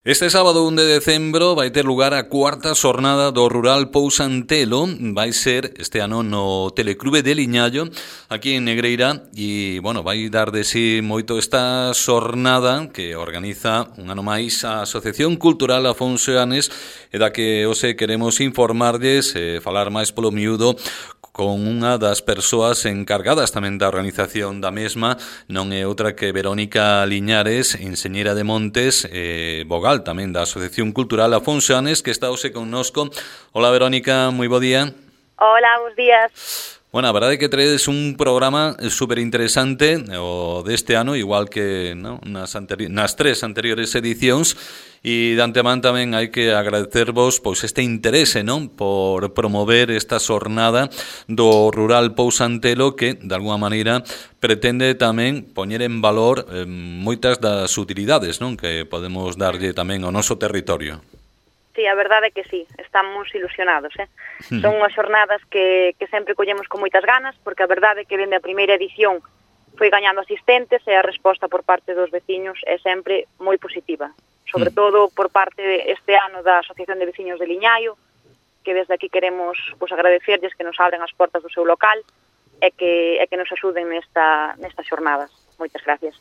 Este sábado 1 de decembro vai ter lugar a cuarta xornada do Rural Pousantelo. Vai ser este ano no Teleclube de Liñallo, aquí en Negreira, e, bueno, vai dar de si moito esta xornada que organiza un ano máis a Asociación Cultural Afonso Eanes, e da que hoxe queremos informarlles e falar máis polo miúdo con unha das persoas encargadas tamén da organización da mesma. Non é outra que Verónica Liñares, enxeñeira de montes, vogal tamén da Asociación Cultural Afonso Eanes, que está hoxe connosco. Hola, Verónica, moi bo día. Hola, bons días. Bueno, a verdade é que traedes un programa super interesante o deste ano, igual que nas tres anteriores edicións, e de antemán tamén hai que agradecervos pois este interese, non, por promover esta xornada do Rural Pousantelo, que de alguma maneira pretende tamén poñer en valor moitas das utilidades, non, que podemos darlle tamén ao noso territorio. Sí, a verdade é que sí, estamos ilusionados, Son unhas xornadas que sempre collemos con moitas ganas, porque a verdade é que dende a primeira edición foi gañando asistentes e a resposta por parte dos veciños é sempre moi positiva, sobre todo por parte este ano da Asociación de Veciños de Liñaio, que desde aquí queremos agradecerlles que nos abren as portas do seu local e que nos axuden nestas xornadas. Moitas gracias.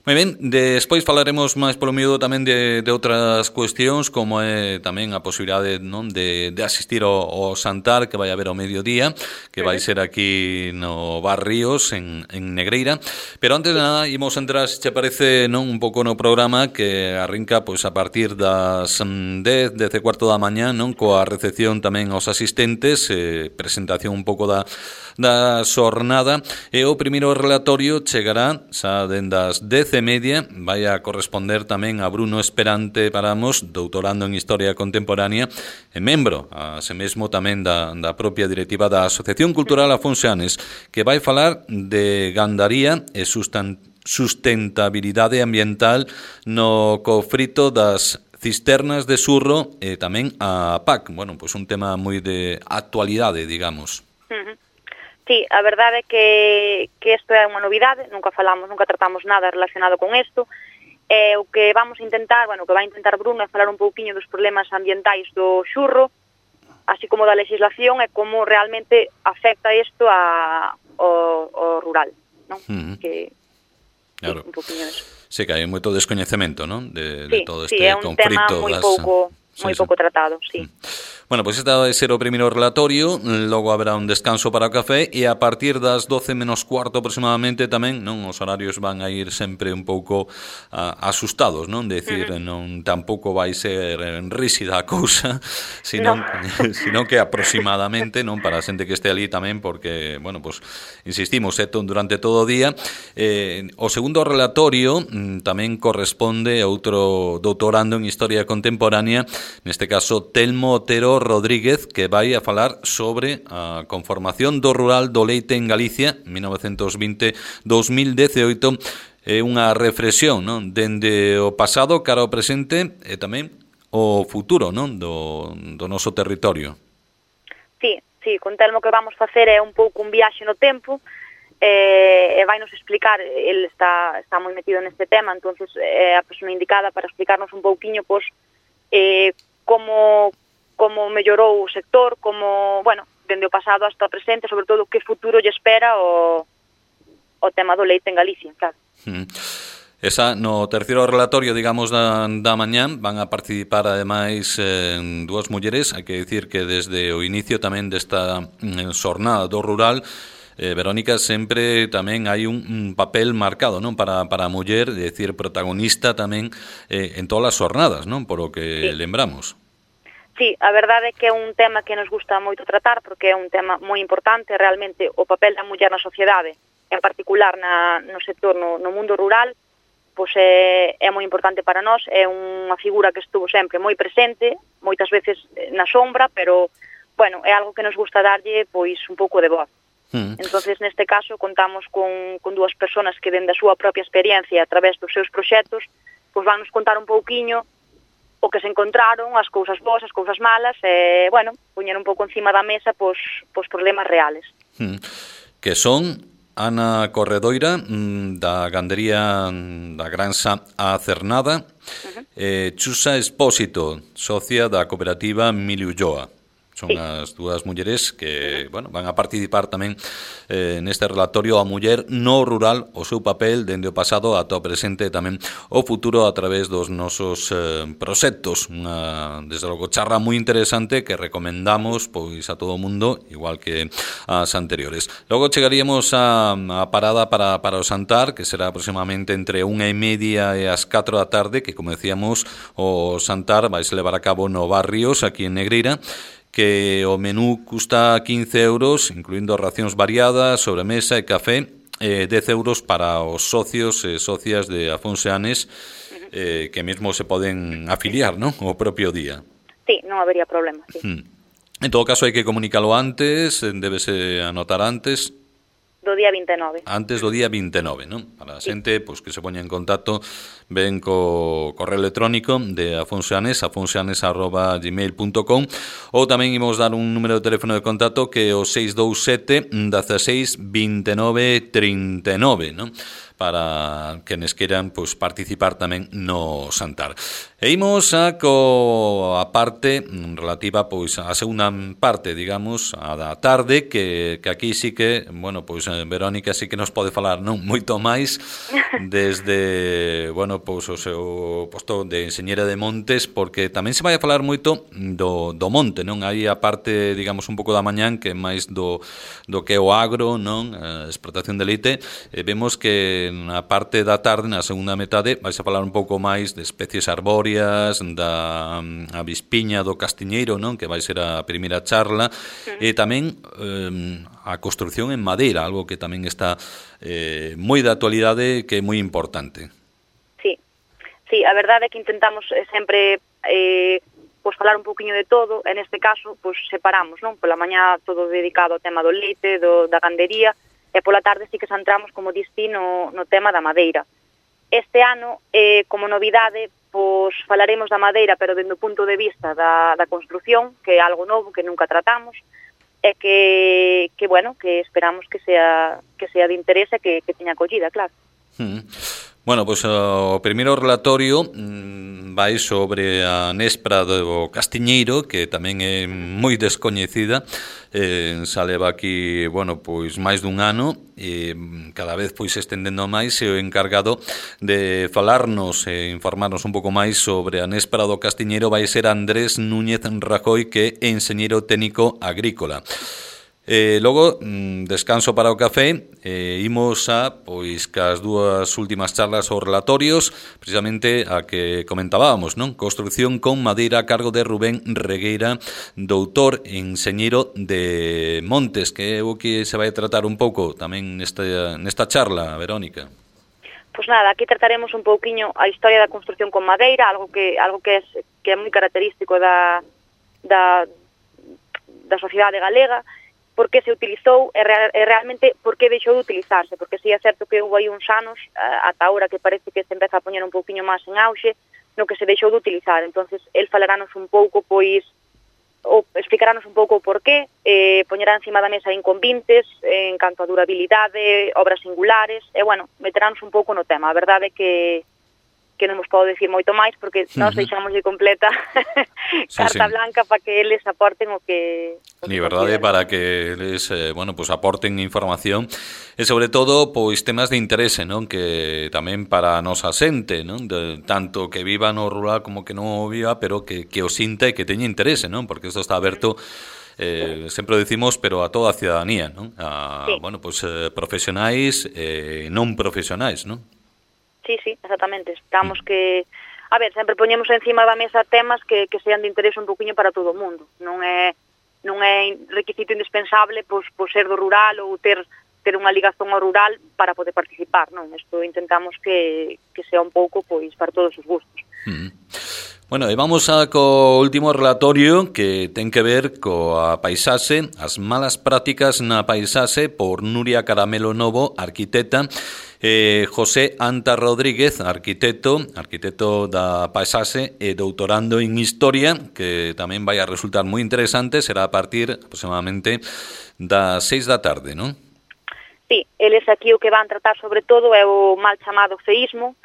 Moi ben, despois falaremos máis polo miúdo tamén de outras cuestións, como é tamén a posibilidade, non, de asistir ao Santar que vai haber ao mediodía, que vai ser aquí no Bar Ríos, en Negreira. Pero antes de nada, imos entrar, se che parece, non, un pouco no programa que arrinca pois a partir das 10 e cuarto da mañá, non, coa recepción tamén aos asistentes, presentación un pouco da xornada, e o primeiro relatorio chegará xa dende as 10:30, vai a corresponder tamén a Bruno Esperante Paramos, doutorando en Historia Contemporánea e membro, ase mesmo tamén da propia directiva da Asociación Cultural Afonso Eanes, que vai falar de gandaría e sustentabilidade ambiental no conflito das cisternas de Surro e tamén a PAC. Bueno, pois un tema moi de actualidade, digamos. Sí, a verdade é que isto é unha novidade, nunca tratamos nada relacionado con isto. O que vamos a intentar, o que vai intentar Bruno é falar un pouquiño dos problemas ambientais do Xurro, así como da legislación e como realmente afecta isto ao rural, non? Claro. Un pouquiño disso. Sí, que hai moito descoñecemento, non? De todo este é conflito. Sí, é un tema moi pouco tratado, sí. Bueno, pois este vai ser o primeiro relatorio, logo haberá un descanso para o café e a partir das 12 menos cuarto aproximadamente tamén, non, os horarios van a ir sempre un pouco asustados, non? Decir, non tampouco vai ser ríxida a cousa, sino que aproximadamente, non, para a xente que este ali tamén, porque, bueno, pois insistimos, durante todo o día. O segundo relatorio tamén corresponde a outro doutorando en Historia Contemporánea, neste caso Telmo Otero Rodríguez, que vai a falar sobre a conformación do rural do leite en Galicia 1920-2018. É unha reflexión, non, dende o pasado cara ao presente e tamén o futuro, non, do noso territorio. Sí, con Telmo que vamos facer é un pouco un viaxe no tempo, e vai nos explicar, ele está moi metido neste tema, entonces é a persona indicada para explicarnos un pouquiño como mellorou o sector, como, dende o pasado hasta o presente, sobre todo que futuro lle espera o tema do leite en Galicia, claro. Esa, no terceiro relatorio, digamos, da mañán, van a participar ademais dúas mulleres. Hai que dicir que desde o inicio tamén desta xornada do rural, Verónica, sempre tamén hai un papel marcado, non, para a muller, é dicir, protagonista tamén en todas as xornadas, non, por o que lembramos. Sí, a verdade é que é un tema que nos gusta moito tratar, porque é un tema moi importante, realmente o papel da muller na sociedade, en particular no sector, no mundo rural, pois é moi importante para nós, é unha figura que estuvo sempre moi presente, moitas veces na sombra, pero, é algo que nos gusta darlle, pois, un pouco de voz. Entonces, neste caso, contamos con dúas persoas que, dende a súa propia experiencia, a través dos seus proxectos, pois van nos contar un pouquiño o que se encontraron, as cousas boas, as cousas malas, e, poñer un pouco encima da mesa pois problemas reales. Que son Ana Corredoira, da gandería da Granxa A Cernada, Chusa Espósito, socia da cooperativa Emilio Ulloa. Son as dúas mulleres que, bueno, van a participar tamén neste relatorio a muller no rural, o seu papel dende o pasado ata o presente e tamén o futuro a través dos nosos proxectos. Desde logo, charla moi interesante que recomendamos pois a todo o mundo, igual que as anteriores. Logo chegaríamos a parada para o xantar, que será aproximadamente entre 1:30 e as 4 da tarde, que, como decíamos, o xantar vai se levar a cabo no Barrios, aquí en Negreira, que o menú custa 15 euros, incluindo racións variadas, sobremesa e café, 10 euros para os socios e socias de Afonseanes, que mesmo se poden afiliar, non? O propio día. Sí, non habería problema, sí. En todo caso, hai que comunicalo antes, débese anotar antes. Do día 29. Antes do día 29, non? Para a xente pois, que se poña en contacto ben co correo electrónico de Afonseanes, afonseanes@gmail.com, ou tamén imos dar un número de teléfono de contacto que é o 627 16 29 39, non? Para quenes queran pois, participar tamén no xantar. E imos a parte relativa pois a segunda parte, digamos, a da tarde, que aquí sí que, bueno, pois Verónica sí que nos pode falar, non, moito máis desde, bueno, pois o seu posto de enxeñera de montes, porque tamén se vai a falar moito do monte, non? Aí a parte, digamos, un pouco da mañán que é máis do que é o agro, non? A explotación de leite, vemos que na parte da tarde, na segunda metade, vais a falar un pouco máis de especies arbóreas, da avispiña do castiñeiro, non? Que vai ser a primeira charla, e tamén a construción en madeira, algo que tamén está moi de actualidade, que é moi importante. Sí, a verdade é que intentamos sempre pois falar un poquinho de todo, e neste caso pois separamos, non? Pola mañá todo dedicado ao tema do leite, da gandería, e pola tarde sí que centramos, como distí, no tema da madeira. Este ano, como novidade, pois falaremos da madeira, pero dende o punto de vista da construción, que é algo novo que nunca tratamos, e que bueno, que esperamos que sea de interese, que teña acollida, claro. Bueno, pois o primeiro relatorio vai sobre a néspera do castiñeiro, que tamén é moi descoñecida, xa leva aquí, bueno, pois máis dun ano, e cada vez pois estendendo máis, e o encargado de falarnos e informarnos un pouco máis sobre a néspera do castiñeiro vai ser Andrés Núñez Rajoy, que é enxeñeiro técnico agrícola. Logo, descanso para o café, imos a, pois, cas dúas últimas charlas ou relatorios, precisamente a que comentábamos, non? Construcción con madeira a cargo de Rubén Regueira, doutor enxeñeiro de montes, que é o que se vai tratar un pouco tamén nesta charla, Verónica. Pois nada, aquí trataremos un pouquiño a historia da construcción con madeira, algo que é moi característico da sociedade galega, por que se utilizou e realmente por que deixou de utilizarse, porque si é certo que houve aí uns anos, ata ahora que parece que se empeza a poñer un pouquiño máis en auxe, no que se deixou de utilizar. Entonces, el falarános un pouco, pois, ou explicarános un pouco o porqué, poñerá encima da mesa inconvintes, en canto a durabilidade, obras singulares, e, bueno, meterános un pouco no tema. A verdade é que non vos podo dicir moito máis, porque nós deixamos de completa carta blanca para que eles aporten o que... Ni verdade, para que eles, bueno, pues aporten información, e sobre todo, pois, temas de interese, non? Que tamén para a nosa xente, non? Tanto que viva no rural como que non o viva, pero que o sinta e que teña interese, non? Porque isto está aberto... sempre decimos, pero a toda a ciudadanía, non? Bueno, pues profesionais e non profesionais, non? Sí, exactamente. Esperamos que... A ver, sempre poñemos encima da mesa temas que sean de interese un poquinho para todo o mundo. Non é requisito indispensable pois ser do rural ou ter unha ligazón ao rural para poder participar, non? Isto intentamos que sea un pouco pois para todos os gustos. Bueno, e vamos co último relatorio que ten que ver coa paisaxe, as malas prácticas na paisaxe, por Nuria Caramelo Novo, arquitecta, José Anta Rodríguez, arquitecto da paisaxe e doutorando en Historia, que tamén vai a resultar moi interesante, será a partir aproximadamente das 6 da tarde, non? Sí, eles aquí o que van tratar sobre todo é o mal chamado feísmo,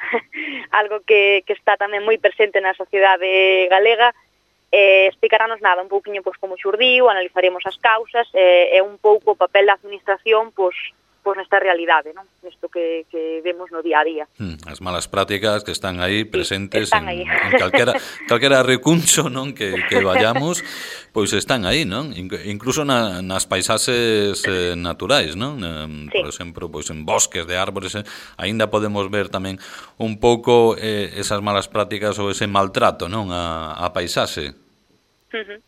algo que está tamén moi presente na sociedade galega. Explicarános un pouquiño como xurdiu, analizaremos as causas e un pouco o papel da administración nesta realidade, non? Nisto que vemos no día a día. As malas prácticas que están aí presentes están aí. en calquera recuncho, non, que vayamos, pois están aí, non? Incluso nas paisaxes naturais, non? Por exemplo, pois en bosques de árbores, aínda podemos ver tamén un pouco esas malas prácticas ou ese maltrato, non, a paisaxe.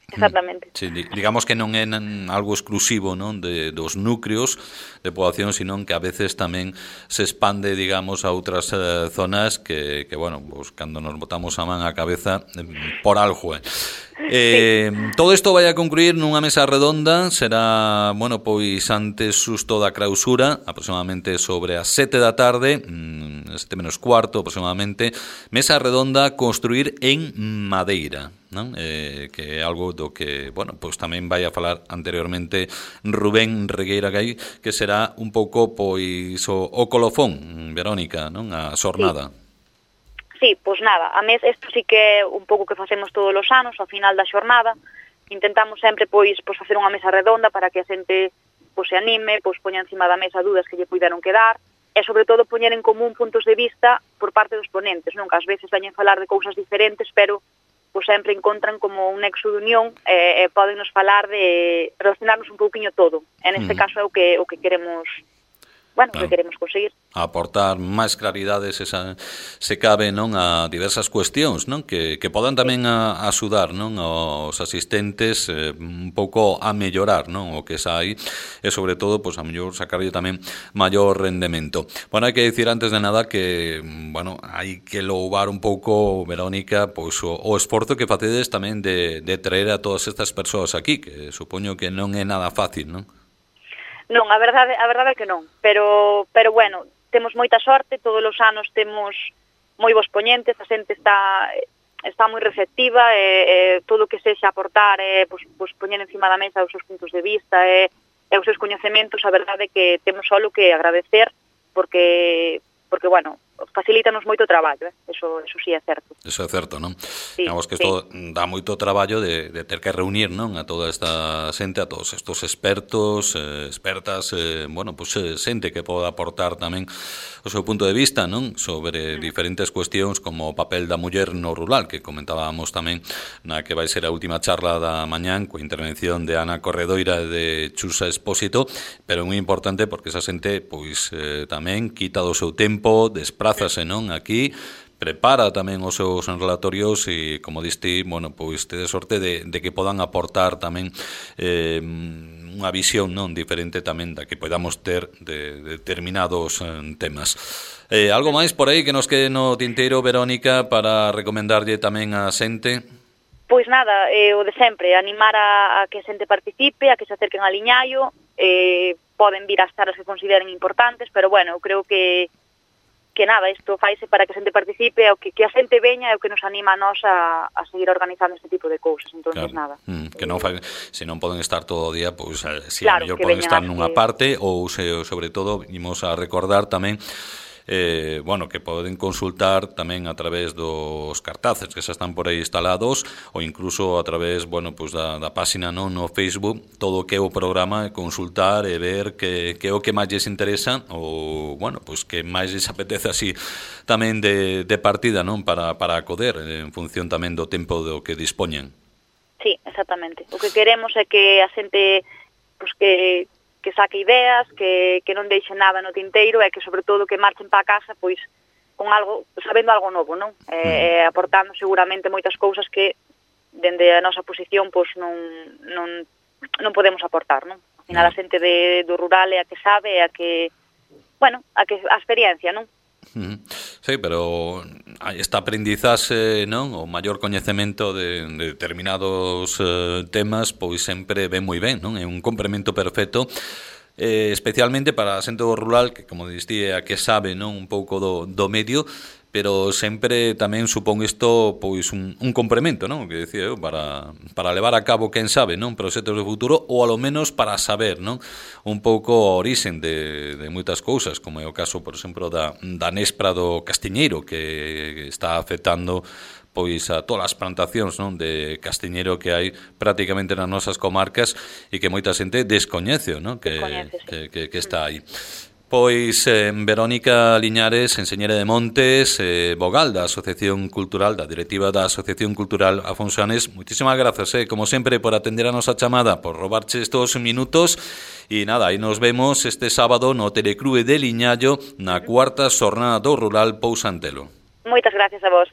Exactamente. Sí, digamos que non é algo exclusivo, non, dos núcleos de poboación, sino que a veces tamén se expande, digamos, a outras zonas que bueno, pues, cando nos botamos a man á cabeza por algo, Todo isto vai a concluir nunha mesa redonda, será, bueno, pois antes xusto da clausura, aproximadamente sobre as 7 da tarde, 7 menos cuarto aproximadamente, mesa redonda construir en madeira, non? Que é algo do que, bueno, pois tamén vai a falar anteriormente Rubén Regueira Gai, que será un pouco pois o colofón, Verónica, non? A xornada. Sí, pois nada, a mes isto sí que é un pouco que facemos todos os anos, ao final da xornada, intentamos sempre pois facer unha mesa redonda para que a xente se anime, poña encima da mesa dúdas que lle puideron quedar, e sobre todo poñer en común puntos de vista por parte dos ponentes, non? Que ás veces veñen falar de cousas diferentes, pero sempre encontran como un nexo de unión e podennos falar de relacionarnos un pouquiño todo. En este caso é o que queremos, bueno, claro, que queremos conseguir. Aportar máis claridades se cabe, non, a diversas cuestións, non, que podan tamén axudar, non, aos asistentes un pouco a mellorar, non, o que sai e sobre todo, pois a mellor sacarlle tamén maior rendemento. Bueno, hai que dicir antes de nada que, bueno, hai que louvar un pouco, Verónica, pois o esforzo que facedes tamén de traer a todas estas persoas aquí, que supoño que non é nada fácil, non? Non, a verdade é que non, pero bueno, temos moita sorte, todos os anos temos moi bons poñentes, a xente está moi receptiva e todo o que sexa aportar pois poñer encima da mesa os seus puntos de vista e os seus coñecementos, a verdade é que temos só que agradecer porque bueno, facilítanos moito o traballo, eso sí é certo. Eso é certo, non? Sí, digamos que isto dá moito traballo de ter que reunir, non, a toda esta xente, a todos estos expertos, expertas, bueno, pues xente que poda aportar tamén o seu punto de vista, non, sobre diferentes cuestións como o papel da muller no rural, que comentábamos tamén na que vai ser a última charla da mañán coa intervención de Ana Corredoira e de Chusa Expósito, pero é moi importante porque esa xente pois tamén quita do seu tempo, desprázase, non, aquí, prepara tamén os seus relatorios e, como diste, bueno, pois tede sorte de que podan aportar tamén unha visión, non, diferente tamén da que podamos ter de determinados temas. Algo máis por aí que nos quede no tinteiro, Verónica, para recomendarlle tamén a xente? Pois nada, o de sempre, animar a que a xente participe, a que se acerquen a Liñaio, poden vir ás charlas que consideren importantes, pero bueno, eu creo que nada, isto faise para que a xente participe, o que a xente veña é o que nos anima a nós a seguir organizando este tipo de cousas, entonces claro, nada. Que non se non poden estar todo o día, pois si claro, a mellor poden estar nunha parte ou sobre todo imos a recordar tamén bueno, que poden consultar tamén a través dos cartaces que xa están por aí instalados ou incluso a través, bueno, pues da páxina no Facebook, todo o que é o programa e consultar e ver que é o que máis lles interesa ou, bueno, pues que máis lles apetece así tamén de partida, non, para acoder en función tamén do tempo do que dispoñen. Sí, exactamente. O que queremos é que a xente pues que saque ideas, que non deixe nada no tinteiro e que, sobre todo, que marchen para casa, pois, con algo, sabendo algo novo, non? Aportando seguramente moitas cousas que, dende a nosa posición, pois, non podemos aportar, non? Ao final, a xente do rural é a que sabe, é a que, bueno, a experiencia, non? Sí, pero esta aprendizaxe, non, o maior coñecemento de determinados temas, pois sempre ven moi ben, non? É un complemento perfecto, especialmente para a xente do rural que, como distí, é a que sabe, non, un pouco do medio, pero sempre tamén supón isto pois un complemento, non? Que decía eu, para levar a cabo, quen sabe, non? Proxectos de futuro, ou alo menos para saber, non? Un pouco a orixen de moitas cousas, como é o caso, por exemplo, da néspera do castiñeiro, que está afectando pois a todas as plantacións, non, de castiñeiro que hai prácticamente nas nosas comarcas e que moita xente descoñece, non? Que está aí. Pois Verónica Liñares, enseñera de Montes, vogal da Asociación Cultural, da directiva da Asociación Cultural Afonsanes, moitísimas grazas, como sempre, por atender a nosa chamada, por robarche estos minutos, e nada, aí nos vemos este sábado no Telecrue de Liñallo, na cuarta xornada do Rural Pousa Antelo. Moitas gracias a vos.